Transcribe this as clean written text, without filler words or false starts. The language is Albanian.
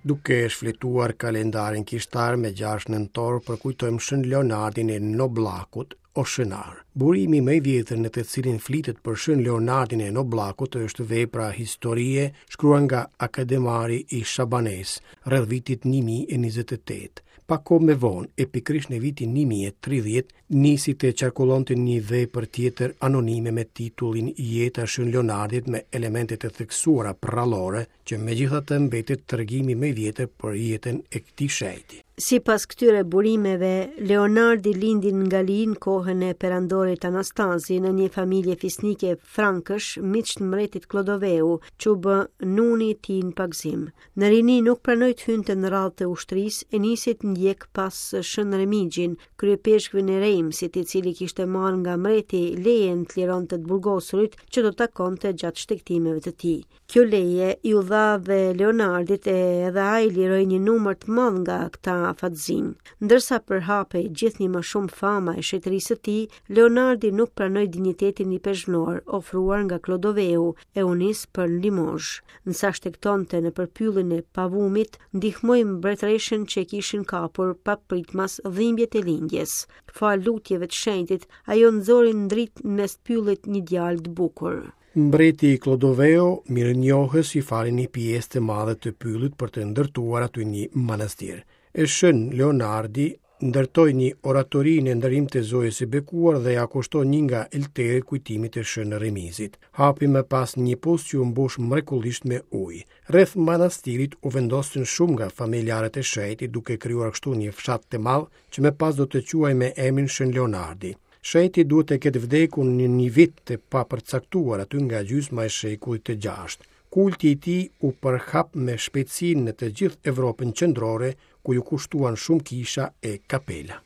Duke shfletuar kalendarin kishtar me 6 nëntor përkujtojmë Shën Leonardin e Noblakut, Oshënar. Burimi më i vjetër në të cilin flitet për Shën Leonardin e Noblakut është vepra Historie, shkruar nga Akademari i Shabanesë, rreth vitit 1028. Pak kohë më vonë, e pikërisht në vitin 1030, nisi të qarkullonte një vepër tjetër anonime me titullin Jeta e Shën Leonardit me elemente të theksuara përrallore, që megjithatë mbetet tregimi më i vjetër për jetën e këtij shenjti. Sipas këtyre burimeve, Leonardi lindi në Gali në kohën e perandorit Anastazi në një familje fisnike frankësh, miq të mbretit Klodoveu, që u bë nuni i tij në pagëzim. Në rini nuk pranoi të hynte në radhë të ushtrisë e nisi të ndjekë pas Shën Remigjin, kryepeshkvin e Reimsit, i cili kishte marrë nga mbreti lejen të lironte të burgosurit që do takonte gjatë shtegtimeve të tij. Kjo leje iu dha dhe Leonardit e edhe ai liroi një numër të madh nga këta fatzinj. Ndërsa përhapej gjithnjë më shumë fama e shenjtërisë së tij, Leonardi nuk pranoi dinjitetin ipeshkvnor ofruar nga Klodoveu e u nis për në Limozh. Ndërsa shtegtonte nëpër pyllin e Pavumit, ndihmoi mbretëreshën që e kishin kapur papritmas dhimbjet e lindjes. Falë lutjeve të shenjtit, ajo nxori në dritë në mes pyllit një djalë të bukur. Mbreti Klodoveu, mirënjohës i fali një pjesë të madhe të pyllit për të ndërtuar aty një manastir. E Shën Leonardi ndërtoi një oratori në nderim të Zojës së Bekuar dhe ia kushtoi një nga elteret kujtimit të Shën Remizit. Hapi më pas një pus që u mbush mrekullisht me ujë. Rreth manastirit u vendosën shumë nga familjarët e shenjtit duke krijuar kështu një fshat të madh që më pas do të quhej me emrin Shën Leonardi. Shenjti duhet të ketë vdekur në një vit të papërcaktuar aty nga gjysma e shekullit të gjashtë. Kulti i tij u përhap me shpejtësi në të gjithë Evropën Qendrore, ku iu kushtuan shumë kisha e kapela.